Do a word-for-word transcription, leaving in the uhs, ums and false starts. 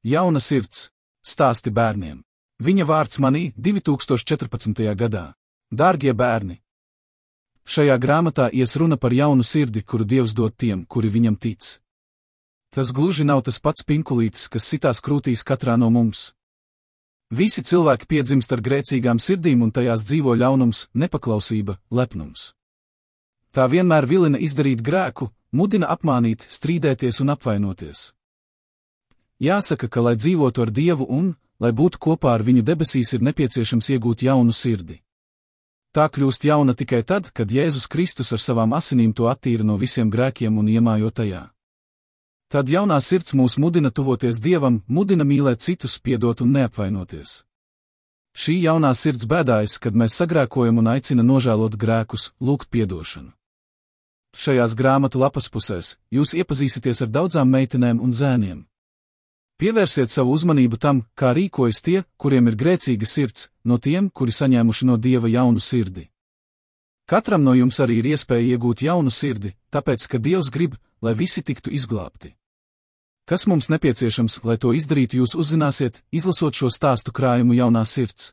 Jauna sirds. Stāsti bērniem. Viņa vārds manī divi tūkstoši četrpadsmitajā gadā. Dārgie bērni! Šajā grāmatā ies runa par jaunu sirdi, kuru Dievs dod tiem, kuri viņam tic. Tas gluži nav tas pats pinkulītis, kas sitās krūtīs katrā no mums. Visi cilvēki piedzimst ar grēcīgām sirdīm un tajās dzīvo ļaunums, nepaklausība, lepnums. Tā vienmēr vilina izdarīt grēku, mudina apmānīt, strīdēties un apvainoties. Jāsaka, ka, lai dzīvotu ar Dievu un, lai būtu kopā ar viņu debesīs, ir nepieciešams iegūt jaunu sirdi. Tā kļūst jauna tikai tad, kad Jēzus Kristus ar savām asinīm to attīra no visiem grēkiem un iemājo tajā. Tad jaunā sirds mūs mudina tuvoties Dievam, mudina mīlēt citus, piedot un neapvainoties. Šī jaunā sirds bēdājas, kad mēs sagrēkojam un aicina nožēlot grēkus, lūgt piedošanu. Šajās grāmatu lapas pusēs jūs iepazīsieties ar daudzām meitenēm un zēniem. Pievērsiet savu uzmanību tam, kā rīkojas tie, kuriem ir grēcīga sirds, no tiem, kuri saņēmuši no Dieva jaunu sirdi. Katram no jums arī ir iespēja iegūt jaunu sirdi, tāpēc, ka Dievs grib, lai visi tiktu izglābti. Kas mums nepieciešams, lai to izdarītu, jūs uzzināsiet, izlasot šo stāstu krājumu Jaunā sirds.